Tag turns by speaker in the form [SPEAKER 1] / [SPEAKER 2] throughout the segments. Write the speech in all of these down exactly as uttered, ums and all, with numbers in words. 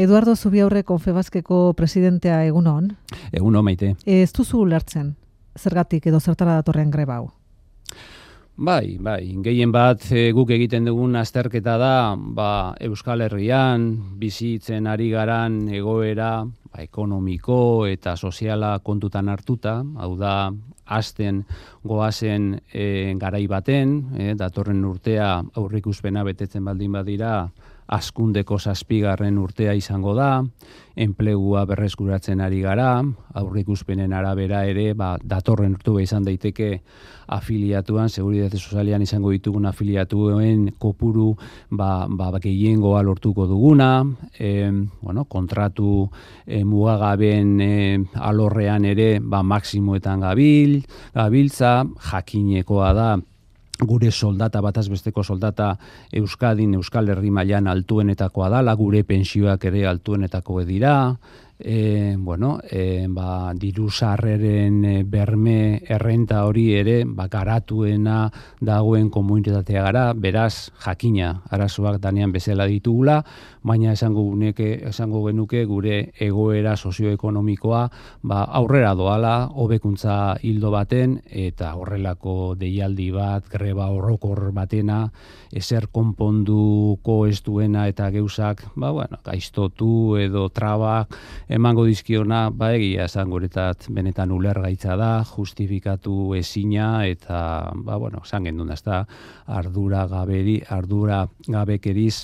[SPEAKER 1] Eduardo Zubiaurre Confebaskeko presidentea egunon.
[SPEAKER 2] Egunon, Maite.
[SPEAKER 1] Ez duzu ulertzen, zergatik edo zertara datorren greba hau?
[SPEAKER 2] Bai, bai, gehien bat e, guk egiten dugun azterketa da, ba, Euskal Herrian bizitzen ari garan egoera ba, ekonomiko eta soziala kontutan hartuta, hau da, hasten goazen e, garai baten, e, datorren urtea aurrikuspena betetzen baldin badira, hazkundeko zazpigarren urtea izango da, enplegua berreskuratzen ari gara, aurrikuspenen arabera ere, ba, datorren urtua izan daiteke afiliatuan, Seguritate Sozialean izango ditugun afiliatuen kopuru ba, ba, gehiengoa lortuko duguna, e, bueno, kontratu e, mugagaben e, alorrean ere ba, maksimoetan gabil, gabiltza, jakinekoa da, gure soldata, bataz besteko soldata Euskadin, Euskal Herri mailan altuenetakoa dala, gure pentsioak ere altuenetako dira, e, bueno, e, ba, diru sarreren e, berme errenta hori ere, ba, garatuena dagoen komunitatea gara, beraz, jakina, arazoak danean bezala ditugula, baina esango, guneke, esango genuke gure egoera sozioekonomikoa ba, aurrera doala, hobekuntza hildo baten, eta horrelako deialdi bat, greba horrokor batena, ezer konponduko ez duena eta geuzak, ba, bueno, gaiztotu edo trabak emango dizkiona, ba, egia esan guretat benetan ulergaitza da, justifikatu ezina, eta, ba, bueno, esan gendun, ezta, ardura gaberi, ardura gabekeriz,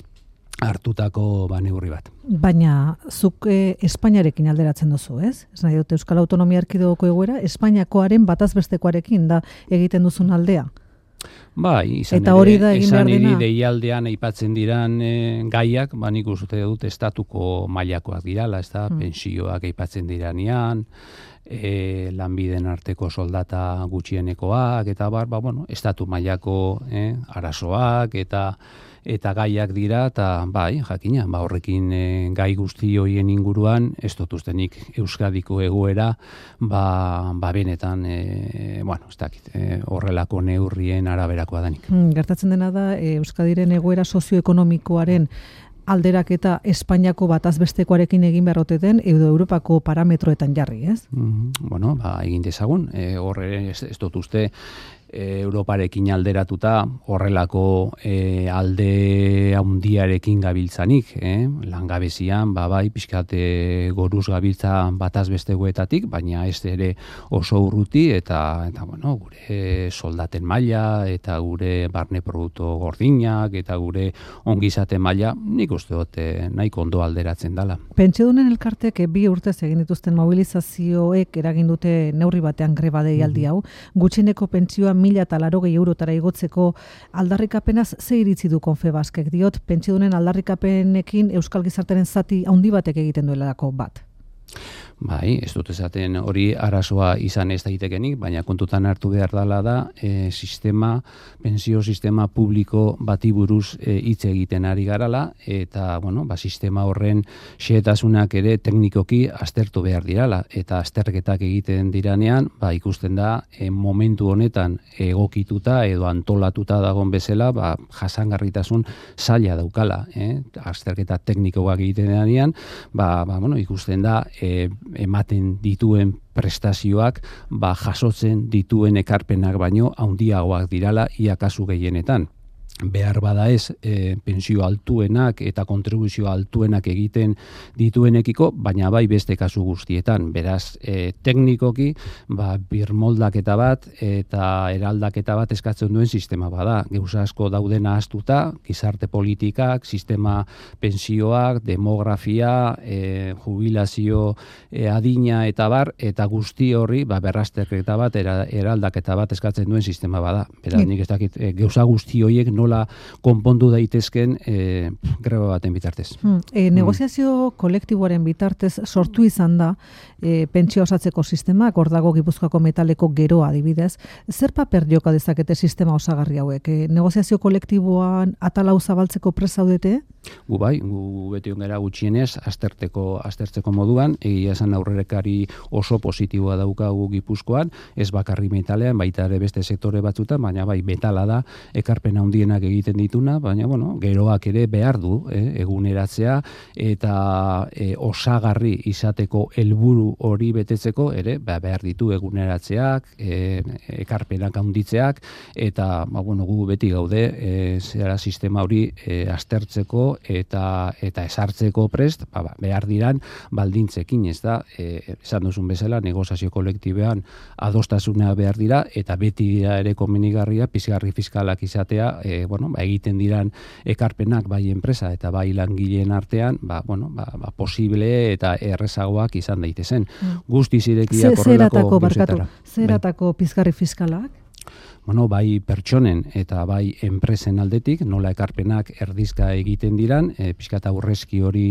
[SPEAKER 2] hartutako ba, neurri bat.
[SPEAKER 1] Baina, zuk eh, Espainiarekin alderatzen duzu, ez? Ez nahi dut Euskal Autonomia Erkidegoko egoera, Espainiakoaren batazbestekoarekin da egiten duzun aldea.
[SPEAKER 2] Bai, izan
[SPEAKER 1] eta
[SPEAKER 2] ere,
[SPEAKER 1] hori da egin behar dena.
[SPEAKER 2] deialdean aipatzen diran e, gaiak, ba nik uste dut estatuko mailakoak dirala, ez da, hmm. pensioak aipatzen diranean, e, lanbiden arteko soldata gutxienekoak, eta bar, ba, bueno, estatu mailako e, arazoak, eta eta gaiak dira, eta bai, jakina, ba horrekin e, gai guzti hoien inguruan, ez dut ustenik Euskadiko egoera, ba, ba benetan, e, bueno, ez dakit, e, horrelako neurrien araberakoa danik.
[SPEAKER 1] Hmm, gertatzen dena da, e, Euskadiren egoera sozioekonomikoaren alderak eta Espainiako batazbestekoarekin egin beharrote den, edo Europako parametroetan jarri, ez?
[SPEAKER 2] Mm-hmm. Bueno, ba, egin dezagun, e, horre ez, ez dut uste, Europarekin alderatuta horrelako e, alde handiarekin gabiltzanik, eh? Langabezian, ba, bai, pixkate goruz gabiltza bataz bestegoetatik, baina ez ere oso urruti, eta, eta bueno, gure soldaten maila, eta gure barne produktu gordinak, eta gure ongizate maila, nik uste dut nahiko ondo alderatzen dela. Pentsiodunen
[SPEAKER 1] elkartek bi urtez egin dituzten mobilizazioek eragin dute neurri batean greba deialdi hau, gutxieneko pentsioa mila eta larogei eurotara igotzeko aldarrikapenaz ze iritzi du Confebaskek, diot pentsiodunen aldarrikapenekin Euskal Gizartearen zati handi batek egiten duelako bat.
[SPEAKER 2] Bai, ez dut esaten hori arazoa izan ez daitekenik, baina kontutan hartu behar dela da e, sistema, pensio sistema publiko bati buruz e, hitz egiten ari garala, eta bueno, ba, sistema horren xehetasunak ere teknikoki aztertu behar dirala, eta azterketak egiten diranean, ba, ikusten da e, momentu honetan egokituta edo antolatuta dagon bezala, ba, jasangarritasun zaila daukala, eh? Azterketa teknikoak egiten diranean, ba, ba, bueno, ikusten da e, ematen dituen prestazioak ba, jasotzen dituen ekarpenak baino handiagoak dirala ia kasu gehienetan. Behar bada ez, e, pensio altuenak eta kontribuzio altuenak egiten dituenekiko, baina bai beste kasu guztietan. Beraz, e, teknikoki, ba, birmoldaketa bat eta eraldaketa bat eskatzen duen sistema bada. Gauza asko dauden ahaztuta, gizarte politikak, sistema pensioak, demografia, e, jubilazio e, adina eta bar, eta guzti horri ba, berrazterketa bat, era, eraldaketa bat eskatzen duen sistema bada. Beraz, nik ez dakit, e, gauza guzti horiek nola konpondu daitezken e, greba baten bitartez.
[SPEAKER 1] Hmm. E, negoziazio kolektiboaren bitartez sortu izan da e, pentsio osatzeko sistema, hor dago Gipuzkoako metaleko geroa adibidez. Zer paper joka dezakete sistema osagarri hauek? E, negoziazio kolektiboan atalau zabaltzeko prest zaudete?
[SPEAKER 2] Gu bai, gu beti ongera gutxienez, azterteko, aztertzeko moduan, egia esan aurrerekari oso positiboa daukagu Gipuzkoan, ez bakarri metalean, baita ere beste sektore batzutan, baina bai metala da, ekarpen handiena ekarpenak egiten dituna, baina bueno, geroak ere behar du eh, eguneratzea eta eh, osagarri izateko helburu hori betetzeko ere ba, behar ditu eguneratzeak, eh, ekarpenak handitzeak eta ba, bueno, gu beti gaude eh, zera sistema hori eh, aztertzeko eta eta esartzeko prest ba, ba, behar diran baldintzekin, ez da, eh, esan duzun bezala negoziazio kolektibean adostasuna behar dira eta beti dira ere komenigarria pizgarri fiskalak izatea, e, bueno, ba, egiten diran ekarpenak bai enpresa eta bai langileen artean, ba, bueno, ba, ba, posible eta errezagoak izan daitezen. Mm. Guztiz irekiak horrelako gauzetara.
[SPEAKER 1] Zeratako pizgarri fiskalak?
[SPEAKER 2] Bueno, bai pertsonen eta bai enpresen aldetik, nola ekarpenak erdizka egiten diran, e, pixkat aurrezki hori,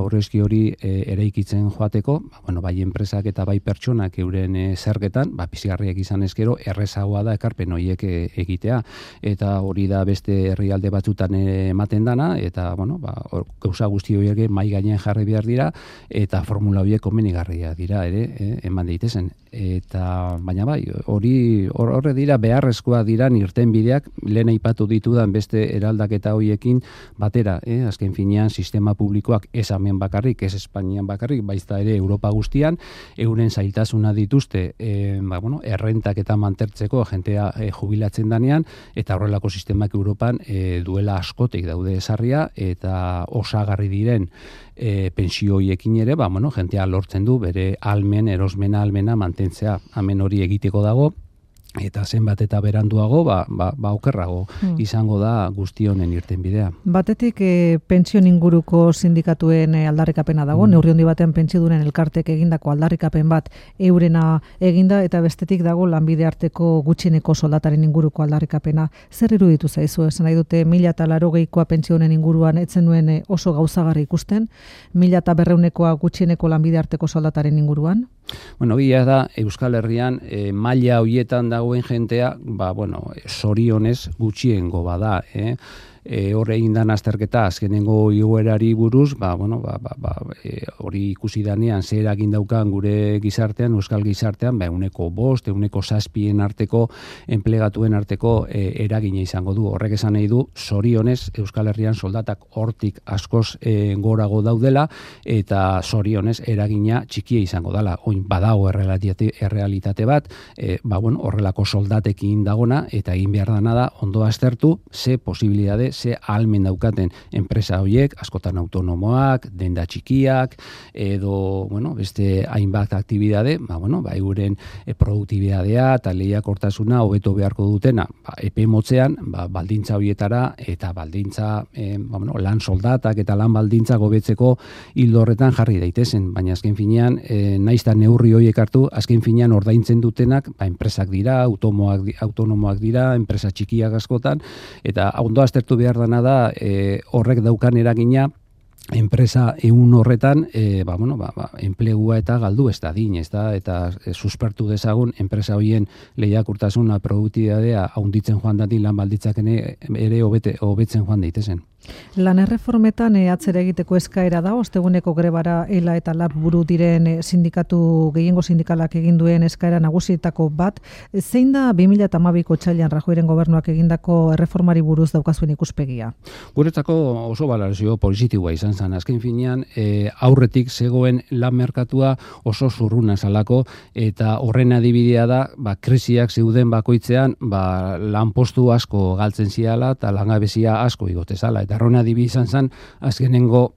[SPEAKER 2] aurrezki hori e, eraikitzen joateko, ba, bueno, bai enpresak eta bai pertsonak euren e, zergetan, ba, pizgarriak izan ezkero, errezagoa da ekarpen horiek e, egitea. Eta hori da beste herrialde batzutan ematen dana, eta, bueno, ba, or, gauza guzti horiek mai gainean jarri behar dira, eta formula horiek komenigarria dira, ere, e, eman daitezen. Eta, baina bai, hori horre dira beharrezkoa diran irtenbideak, lehen aipatu ditudan beste eraldaketa hoiekin batera, eh? Azken finean sistema publikoak ez hemen bakarrik, ez Espainian bakarrik, baizta ere Europa guztian, euren zailtasuna dituzte, eh, ba, bueno, errentak eta mantertzeko jentea eh, jubilatzen danean, eta horrelako sistemak Europan eh, duela askotik daude esarria, eta osagarri diren E, pensio hoiekin ere, ba, bueno, jentea lortzen du bere almen, erosmena almena mantentzea. Hemen hori egiteko dago, eta zenbat eta beranduago, ba, ba, ba okerrago hmm. izango da guzti honen irtenbidea.
[SPEAKER 1] Batetik e, pentsio inguruko sindikatuen e, aldarrikapena dago, hmm. neurri handi batean pentsiodunen elkartek egindako aldarrikapen bat eurena eginda, eta bestetik dago lanbide arteko gutxieneko soldataren inguruko aldarrikapena. Zer iruditu zaizu? Esan nahi dute mila eta larogeikoa pentsioen inguruan etzen nuen e, oso gauzagarri ikusten, mila eta berreunekoa gutxieneko lanbide arteko soldataren inguruan?
[SPEAKER 2] Bueno, gila da, Euskal Herrian e, maila hoietan dagoen jentea, ba, bueno, zorionez gutxiengo bada, eh? E, horre indan azterketa azkenengo igoerari buruz, ba, bueno, ba, ba, ba, e, hori ikusi danean zer eragin daukan gure gizartean, euskal gizartean, ba, euneko bost, euneko zazpien arteko, enplegatuen arteko e, eragina izango du. Horrek esan nahi du, zorionez Euskal Herrian soldatak hortik askoz e, gorago daudela, eta zorionez eragina txikia izango dela. Oin badago errealitate, errealitate bat, e, ba, bueno, horrelako soldatekin dagona, eta egin behar dana da, ondo aztertu, ze posibilidade, ze ahalmen daukaten enpresa horiek, askotan autonomoak, denda txikiak, edo, bueno, beste hainbat aktibidade, ba, bueno, ba, euren e, produktibidadea eta lehiakortasuna hobeto beharko dutena, ba, epe motzean, ba, baldintza horietara eta baldintza, e, ba, bueno, lan soldatak eta lan baldintza gobetzeko hildo horretan jarri daitezen, baina azken finean, e, naizta neurri horiek hartu, azken finean ordaintzen dutenak, ba, enpresak dira, automoak, autonomoak dira, enpresa txikiak askotan, eta ondo aztertu behar dana da e, horrek daukan eragina enpresa ehun horretan e, ba, bueno, ba, ba, enplegua eta galdu ez da din, ez da, eta e, suspertu dezagun enpresa horien lehiakurtasuna produktibitatea haunditzen joan dadin lan balditzak ere hobete, hobetzen joan daitezen.
[SPEAKER 1] Lan erreformetan e, atzera egiteko eskaera da, osteguneko grebara ELA eta LAB buru diren e, sindikatu, gehiengo sindikalak egin duen eskaera nagusietako bat. Zein da bi mila hamabiko otsailean Rajoyren gobernuak egindako erreformari buruz daukazuen ikuspegia?
[SPEAKER 2] Guretzako oso balorazio positiboa izan zen. Azken finean, e, aurretik zegoen lan merkatua oso zurruna zalako, eta horren adibidea da, ba, krisiak zeuden bakoitzean, ba, lanpostu asko galtzen ziala eta langabezia asko igote zala. Eta horren adibidea izan zen, azkenengo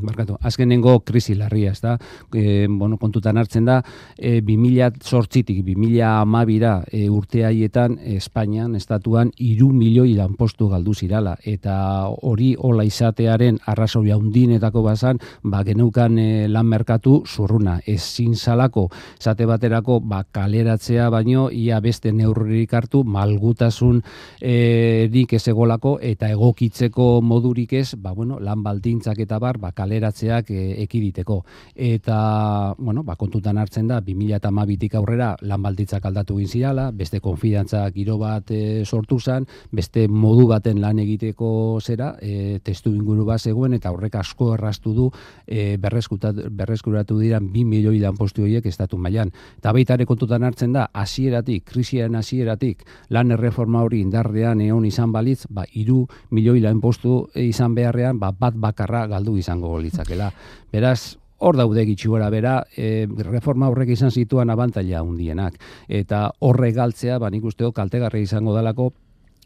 [SPEAKER 2] Barkatu, azkenengo krisi larria, ez da, e, bueno, kontutan hartzen da, e, bi mila zortzitik bi mila hamabira e, urte haietan Espainian, estatuan, hiru milioi lanpostu galdu zirala, eta hori hola izatearen arrazoi handinetako bazan, ba, geneukan e, lan merkatu zurruna, ezin zalako, zate baterako, ba, kaleratzea baino, ia beste neurririk hartu, malgutasun e, dik ez egolako, eta egokitzeko modurik ez, ba, bueno, lan baldintzak eta bar, abar, ba, kaleratzeak e, ekiditeko. Eta, bueno, ba, kontutan hartzen da, bi mila hamabitik aurrera lan baldintzak aldatu egin zirala, beste konfidantza giro bat e, sortu zen, beste modu baten lan egiteko zera, e, testu inguru bat zegoen, eta horrek asko erraztu du e, berreskuratu dira bi milioi lanpostu horiek estatu mailan. Eta baita ere kontutan hartzen da, hasieratik, krisiaren hasieratik, lan erreforma hori indarrean egon izan balitz, ba, hiru milioi lanpostu izan beharrean, ba, bat bakarra galdu izango litzakela. Beraz, hor daude gitxi gora bera, e, reforma horrek izan zituen abantaila handienak. Eta horrek galtzea, ba, nik usteo kaltegarri izango dalako,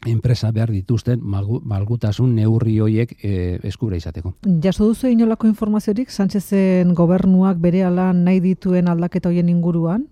[SPEAKER 2] enpresa behar dituzten malgu, malgutasun neurri hoiek e, eskura izateko.
[SPEAKER 1] Jaso duzu inolako informaziorik Sánchezen gobernuak berehala nahi dituen aldaketa hoien inguruan?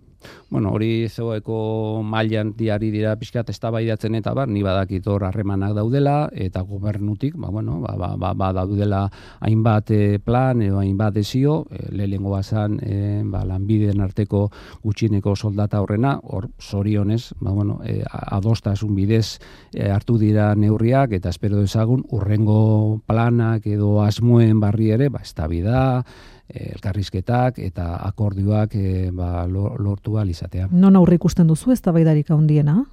[SPEAKER 2] Bueno, hori zegoeko mailan diari dira pixkat eztabaidatzen eta bar, ni badakit hor harremanak daudela eta gobernutik, ba bueno, ba ba ba, ba daudela hainbat e, plan edo hainbat desio, e, lehenengo bazan e, ba lanbideen arteko gutxieneko soldata horrena, hor zorionez, ba bueno, e, adostasun bidez e, hartu dira neurriak eta espero dezagun urrengo planak edo asmoen barri ere, ba eztabaida elkarrizketak eta akordioak e, ba, lortu ahal izatea.
[SPEAKER 1] Non aurre ikusten duzu eztabaidarik handiena?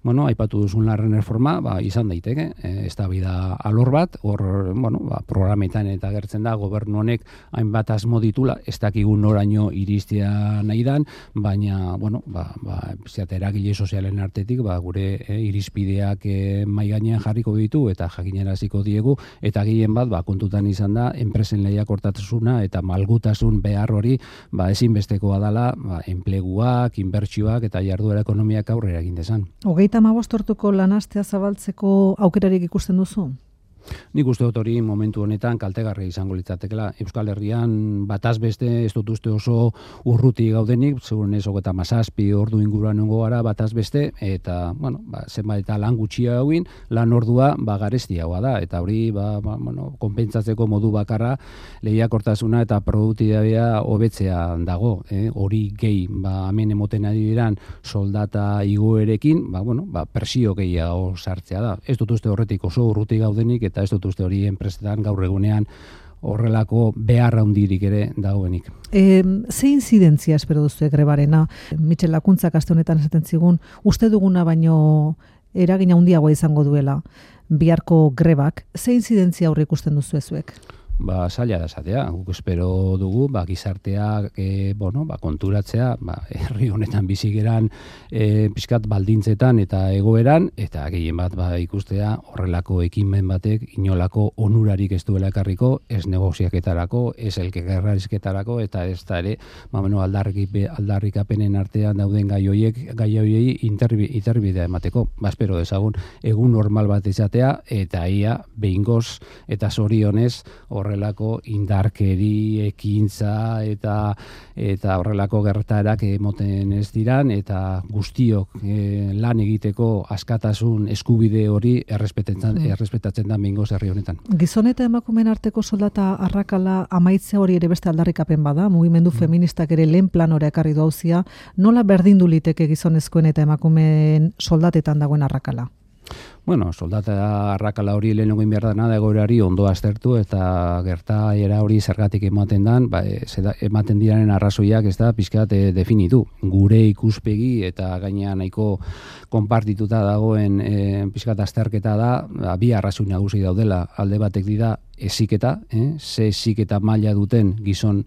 [SPEAKER 2] Bueno, aipatu duzun larren reforma, ba, izan daiteke, e, eztabaida alor bat, hor, bueno, ba, programetan eta gertzen da, gobernu honek hainbat asmo ditula, ez dakigun noraino iristea nahi dan, baina, bueno, ba, ba, eragile sozialen artetik, ba, gure e, irizpideak e, mai gainean jarriko ditu eta jakinaraziko diegu, eta gehien bat, ba, kontutan izan da, enpresen lehiakortasuna eta malgutasun behar hori, ba, ezinbestekoa dela, ba, enpleguak, inbertsioak eta jarduera ekonomiak aurrera egin dezan.
[SPEAKER 1] Hogeita hamabost orduko lanastea zabaltzeko aukerarik ikusten duzu?
[SPEAKER 2] Nik uste dut hori momentu honetan kaltegarri izango litzatekela. Euskal Herrian bataz beste ez dut uste oso urruti gaudenik, seguren ez hogeita hamazazpi ordu inguruan nengo gara bataz beste, eta, bueno, ba, zenbait eta lan gutxia hauin, lan ordua ba, garestiagoa da, eta hori ba, ba, bueno, konpentsatzeko modu bakarra lehiakortasuna eta produktibitatea hobetzea dago. Eh? Hori gehi, ba, hemen emoten ari diran soldata igoerekin, ba, bueno, ba, presio gehiago sartzea da. Ez dut uste horretik oso urruti gaudenik, eta ez dut uste hori enpresetan gaur egunean horrelako behar handirik ere dagoenik.
[SPEAKER 1] E, ze inzidentzia espero duzu grebarena? Mitxel Lakuntzak aste honetan esaten zigun, uste duguna baino eragina handiagoa izango duela biharko grebak. Ze inzidentzia aurre ikusten duzu ezuek?
[SPEAKER 2] Ba, zaila da esatea, guk espero dugu, ba, gizartea, e, bueno, ba, konturatzea, ba, herri honetan bizigeran e, pixkat baldintzetan eta egoeran, eta gehien bat ba, ikustea horrelako ekimen batek inolako onurarik ez duela ekarriko, ez negoziaketarako, ez elkarrizketarako, eta ez da ere, ba, bueno, aldarrik, aldarrikapenen artean dauden gai hoiek, gai hoiei interbidea emateko. Ba, espero dezagun, egun normal bat izatea, eta ia, behingoz eta zorionez, horrelako indarkeri, ekintza eta eta horrelako gertaerak emoten ez diran eta guztiok e, lan egiteko askatasun eskubide hori errespetatzen mm. errespetatzen da behingoz herri honetan.
[SPEAKER 1] Gizon eta emakumeen arteko soldata arrakala amaitzea hori ere beste aldarrikapen bada, mugimendu mm. feministak ere lehen planora ekarri du auzia, nola berdindu liteke gizonezkoen eta emakumeen soldatetan dagoen arrakala?
[SPEAKER 2] Bueno, soldata arrakala hori lehenengo behar dana da egoerari ondo aztertu eta gertaera hori zergatik ematen dan, ba, ematen diraren arrazoiak ez da pixkat e, definitu. Gure ikuspegi eta gainean nahiko konpartituta dagoen e, pixkat azterketa da, ba, bi arrazoi nagusi daudela. Alde batek dira heziketa, eh? ze heziketa maila duten gizon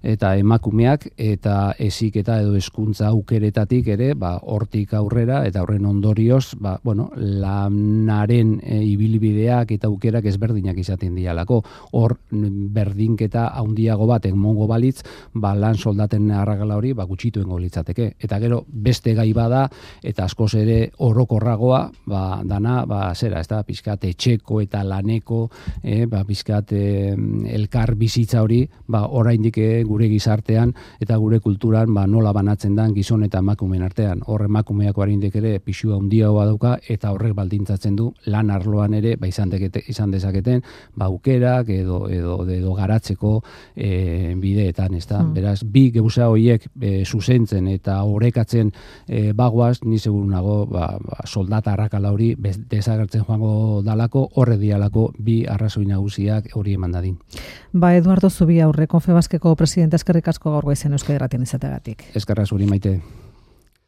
[SPEAKER 2] eta emakumeak eta heziketa edo hezkuntza aukeretatik ere, ba, hortik aurrera eta horren ondorioz, ba, bueno, lanaren e, ibilbideak eta aukerak ezberdinak izaten dialako. Hor berdinketa handiago bat egongo balitz, ba, lan soldaten arrakala hori ba, gutxituengo litzateke. Eta gero beste gai bada eta askoz ere orokorragoa, ba, dana, ba, zera, ez da, pixkat etxeko eta laneko, eh, ba, pixkat eh, elkar bizitza hori, ba, oraindik gure gizartean eta gure kulturan ba, nola banatzen dan gizon eta emakumeen artean. Hor emakumeak oraindik ere pisua handiagoa dauka eta horrek baldintza suposatzen du lan arloan ere ba izan dekete, izan dezaketen ba aukerak edo edo edo garatzeko e, bideetan, ezta? Hmm. Beraz, bi gauza horiek e, zuzentzen eta orekatzen e, bagoaz, ni seguru nago ba, ba soldata arrakala hori desagertzen joango dalako, horre dialako bi arrazoi nagusiak hori eman dadin.
[SPEAKER 1] Ba, Eduardo Zubiaurre, Confebaskeko presidente, eskerrik asko gaur goizen Euskadi Irratian izateagatik.
[SPEAKER 2] Eskerra zuri, Maite.